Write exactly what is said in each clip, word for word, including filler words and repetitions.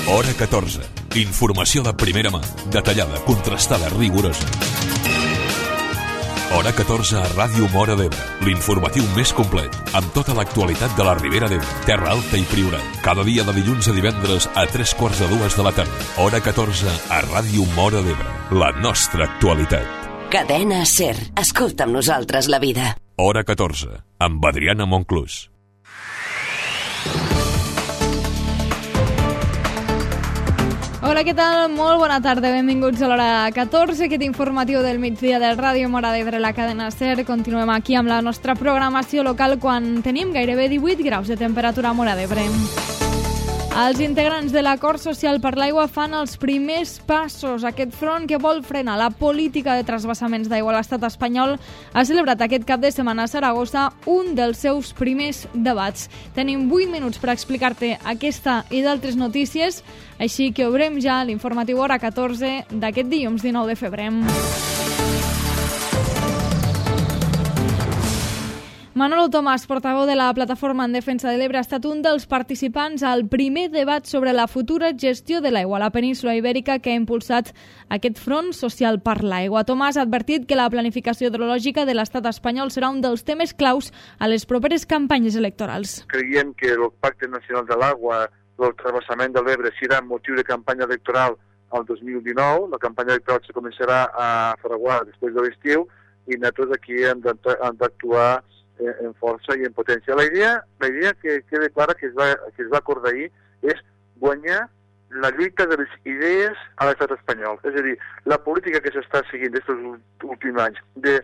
Hora catorze. Informació de primera mà, detallada, contrastada, rigorosa. Hora catorze a Ràdio Móra d'Ebre, l'informatiu més complet, amb tota l'actualitat de la Ribera d'Ebre, Terra Alta i Priorat. Cada dia de dilluns a divendres a tres quarts de dues de la tarda. Hora catorze a Ràdio Móra d'Ebre, la nostra actualitat. Cadena SER. Escolta amb nosaltres la vida. Hora catorze, amb Adriana Monclús. Hola, què tal? Molt bona tarda, benvinguts a l'hora catorze, aquest informatiu del migdia del Ràdio Móra d'Ebre, la cadena SER. Continuem aquí amb la nostra programació local quan tenim gairebé divuit graus de temperatura a Móra d'Ebre. Els integrants de l'Acord Social per l'Aigua fan els primers passos. Aquest front que vol frenar la política de transvasaments d'aigua a l'estat espanyol ha celebrat aquest cap de setmana a Saragossa un dels seus primers debats. Tenim vuit minuts per explicar-te aquesta i d'altres notícies, així que obrem ja l'informatiu Hora catorze d'aquest dilluns dinou de febrer. Manolo Tomàs, portaveu de la Plataforma en Defensa de l'Ebre, ha estat un dels participants al primer debat sobre la futura gestió de l'aigua a la península Ibèrica que ha impulsat aquest front social per l'aigua. Tomàs ha advertit que la planificació hidrològica de l'estat espanyol serà un dels temes claus a les properes campanyes electorals. Creiem que el Pacte Nacional de l'Aigua, el transvasament de l'Ebre, serà motiu de campanya electoral al dos mil dinou. La campanya electoral se començarà a fraguar després de l'estiu i nosaltres aquí hem d'actuar en força i en potència. La idea, la idea que queda clara que es va, que es va acordar ahir és guanyar la lluita de les idees a l'estat espanyol. És a dir, la política que s'està seguint aquests últims anys de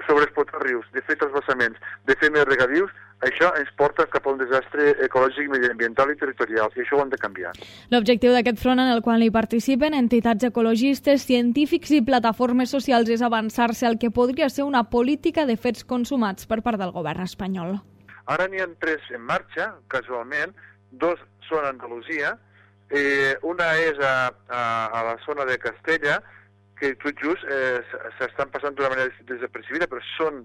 sobreexplotar rius, de fer transvasaments, de fer més regadius, això ens porta cap a un desastre ecològic, mediambiental i territorial, i això ho hem de canviar. L'objectiu d'aquest front en el qual hi participen entitats ecologistes, científics i plataformes socials és avançar-se al que podria ser una política de fets consumats per part del govern espanyol. Ara n'hi ha tres en marxa, casualment, dos són a Andalusia, eh, una és a, a, a la zona de Castella, que tot just eh, s'estan passant d'una manera desapercibida, però són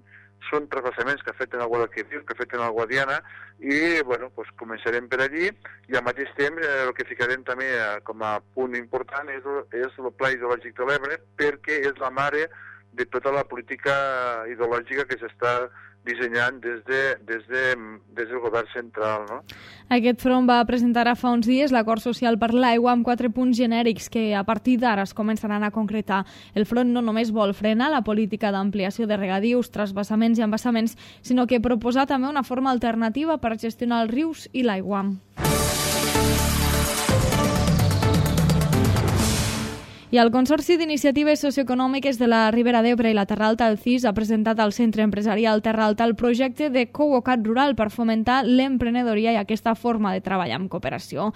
són transvasaments que afecten el Guadalquivir, que afecten el Guadiana, i bueno, pues començarem per allí, i al mateix temps eh, el que ficarem també eh, com a punt important és, és el Pla Hidrològic de l'Ebre, perquè és la mare de tota la política hidrològica que s'està dissenyant des, de, des, de, des del govern central. No? Aquest front va presentar fa uns dies l'Acord Social per l'Aigua amb quatre punts genèrics que a partir d'ara es començaran a concretar. El front no només vol frenar la política d'ampliació de regadius, transvasaments i embassaments, sinó que proposar també una forma alternativa per gestionar els rius i l'aigua. I el Consorci d'Iniciatives Socioeconòmiques de la Ribera d'Ebre i la Terra Alta, el C I S, ha presentat al Centre Empresarial Terra Alta el projecte de Coworking rural per fomentar l'emprenedoria i aquesta forma de treballar en cooperació.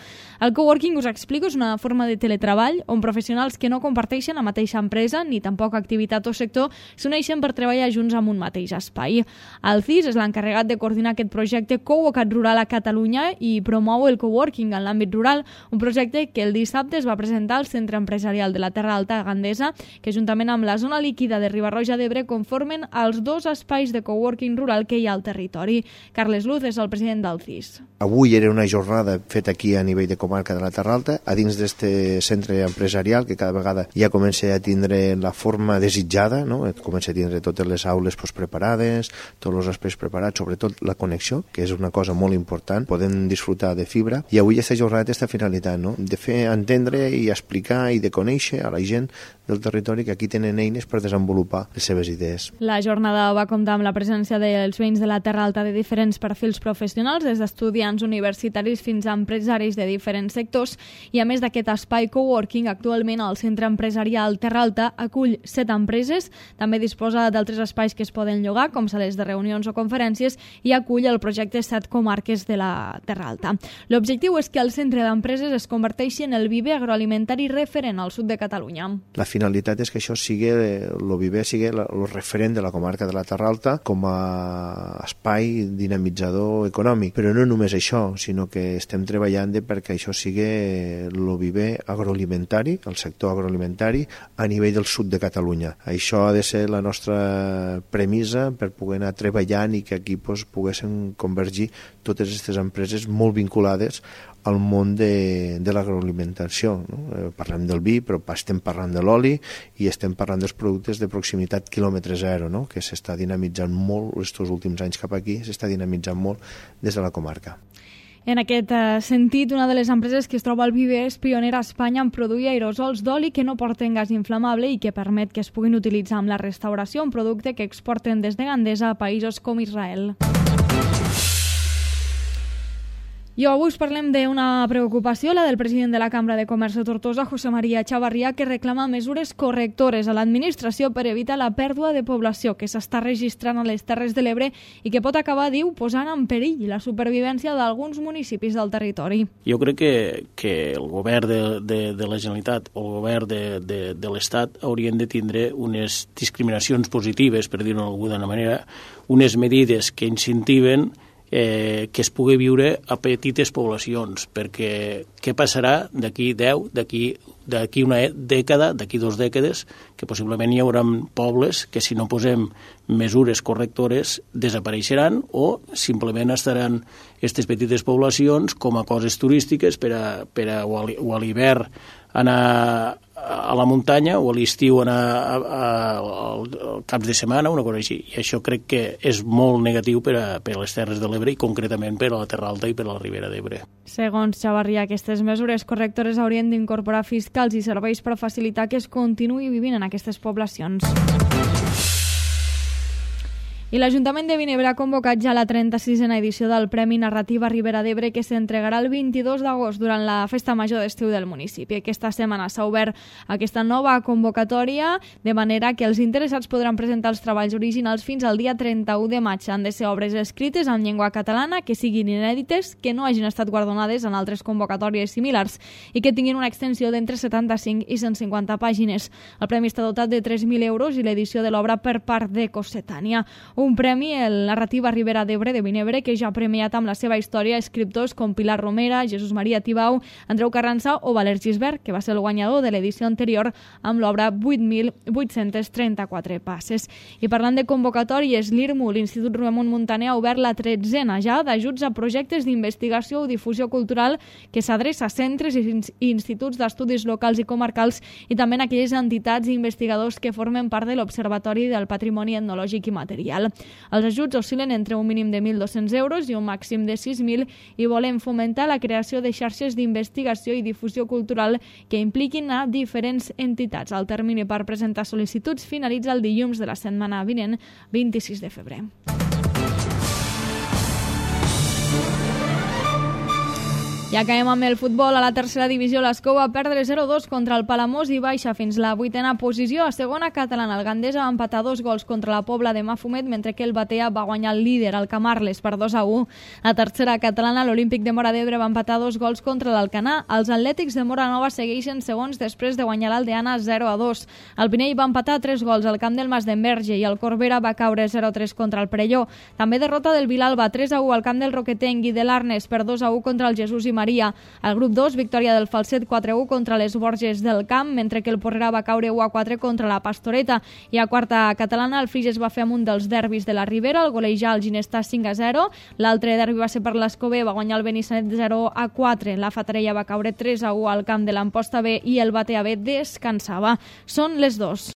El coworking, us explico, és una forma de teletreball on professionals que no comparteixen la mateixa empresa ni tampoc activitat o sector s'uneixen per treballar junts en un mateix espai. El C I S és l'encarregat de coordinar aquest projecte Coworking rural a Catalunya i promou el coworking en l'àmbit rural, un projecte que el dissabte es va presentar al Centre Empresarial de la Terra Alta Gandesa, que juntament amb la zona líquida de Riba-roja d'Ebre conformen els dos espais de coworking rural que hi ha al territori. Carles Luz és el president del C I S. Avui era una jornada feta aquí a nivell de comarca de la Terra Alta, a dins d'este centre empresarial que cada vegada ja comença a tindre la forma desitjada, no? Comença a tindre totes les aules pues, preparades, tots els espais preparats, sobretot la connexió, que és una cosa molt important, podem disfrutar de fibra, i avui aquesta jornada té aquesta finalitat, no? De fer entendre i explicar i de conèixer a la gent del territori que aquí tenen eines per desenvolupar les seves idees. La jornada va comptar amb la presència dels veïns de la Terra Alta de diferents perfils professionals, des d'estudiants universitaris fins a empresaris de diferents sectors, i a més d'aquest espai coworking, actualment el Centre Empresarial Terra Alta acull set empreses, també disposa d'altres espais que es poden llogar, com sales de reunions o conferències, i acull el projecte Set Comarques de la Terra Alta. L'objectiu és que el centre d'empreses es converteixi en el viver agroalimentari referent al sud de Catalunya. La finalitat és que això sigui, el viver sigui el referent de la comarca de la Terra Alta com a espai dinamitzador econòmic. Però no només això, sinó que estem treballant perquè això sigui el viver agroalimentari, el sector agroalimentari a nivell del sud de Catalunya. Això ha de ser la nostra premissa per poder anar treballant i que aquí pues, poguessin convergir totes aquestes empreses molt vinculades al món de, de l'agroalimentació. No? Eh, parlem del vi, però estem parlant de l'oli i estem parlant dels productes de proximitat quilòmetre zero, no? Que s'està dinamitzant molt, estos últims anys cap aquí, s'està dinamitzant molt des de la comarca. En aquest eh, sentit, una de les empreses que es troba al Viver és pionera a Espanya en produir aerosols d'oli que no porten gas inflamable i que permet que es puguin utilitzar en la restauració, un producte que exporten des de Gandesa a països com Israel. I avui us parlem d'una preocupació, la del president de la Cambra de Comerç de Tortosa, José María Chavarría, que reclama mesures correctores a l'administració per evitar la pèrdua de població que s'està registrant a les Terres de l'Ebre i que pot acabar, diu, posant en perill la supervivència d'alguns municipis del territori. Jo crec que, que el govern de, de, de la Generalitat o el govern de, de, de l'Estat haurien de tindre unes discriminacions positives, per dir-ho d'alguna manera, unes medides que incentiven Eh, que es pugui viure a petites poblacions, perquè què passarà d'aquí deu, d'aquí d'aquí una dècada, d'aquí dues dècades, que possiblement hi haurà pobles que si no posem mesures correctores desapareixeran o simplement estaran aquestes petites poblacions com a coses turístiques per a, per a, o a l'hivern anar a la muntanya o a l'estiu anar a, a, al caps de setmana, una cosa així. I això crec que és molt negatiu per a, per a les Terres de l'Ebre i concretament per a la Terra Alta i per a la Ribera d'Ebre. Segons Chavarría, aquestes mesures correctores haurien d'incorporar fiscals i serveis per facilitar que es continuï vivint en aquestes poblacions. I l'Ajuntament de Vinebre ha convocat ja la trenta-sisena edició del Premi Narrativa Ribera d'Ebre, que s'entregarà el vint-i-dos d'agost durant la festa major d'estiu del municipi. Aquesta setmana s'ha obert aquesta nova convocatòria, de manera que els interessats podran presentar els treballs originals fins al dia trenta-u de maig. Han de ser obres escrites en llengua catalana, que siguin inèdites, que no hagin estat guardonades en altres convocatòries similars i que tinguin una extensió d'entre setanta-cinc i cent cinquanta pàgines. El premi està dotat de tres mil euros i l'edició de l'obra per part de Cossetània. Un premi, el Narrativa Ribera d'Ebre de Vinebre, que ja ha premiat amb la seva història escriptors com Pilar Romera, Jesús Maria Tibau, Andreu Carranza o Valer Gisbert, que va ser el guanyador de l'edició anterior amb l'obra vuit mil vuit-cents trenta-quatre passes. I parlant de convocatòries, l'I R M U, l'Institut Ramon Muntaner, ha obert la tretzena ja d'ajuts a projectes d'investigació o difusió cultural que s'adreça a centres i instituts d'estudis locals i comarcals i també en aquelles entitats i investigadors que formen part de l'Observatori del Patrimoni Etnològic i Material. Els ajuts oscil·len entre un mínim de mil dos-cents euros i un màxim de sis mil i volen fomentar la creació de xarxes d'investigació i difusió cultural que impliquin a diferents entitats. El termini per presentar sol·licituds finalitza el dilluns de la setmana vinent, vint-i-sis de febrer. I acabem amb el futbol. A la tercera divisió, l'Escó va perdre zero dos contra el Palamós i baixa fins la vuitena posició. A segona catalana, el Gandesa va empatar dos gols contra la Pobla de Mafumet, mentre que el Batea va guanyar el líder, el Camarles, per dos a u. A tercera catalana, l'Olímpic de Móra d'Ebre va empatar dos gols contra l'Alcanar. Els Atlètics de Móra Nova segueixen segons després de guanyar l'Aldeana zero a dos. El Pinell va empatar tres gols al camp del Mas d'Enverge i el Corbera va caure zero a tres contra el Perelló. També derrota del Vilalba tres a u al camp del Roquetenc i de l'Arnes per dos a u contra el Jesús i Maria. Al grup dos, victòria del Falset quatre a u contra les Borges del Camp, mentre que el Porrera va caure u a quatre contra la Pastoreta. I a quarta catalana, el Flix es va fer amb un dels derbis de la Ribera, el golejar el Ginestà cinc a zero. L'altre derbi va ser per l'Escobé, va guanyar el Benissanet zero a quatre. La Fatarella va caure tres a u al camp de l'Amposta B i el Batea B descansava. Són les dos.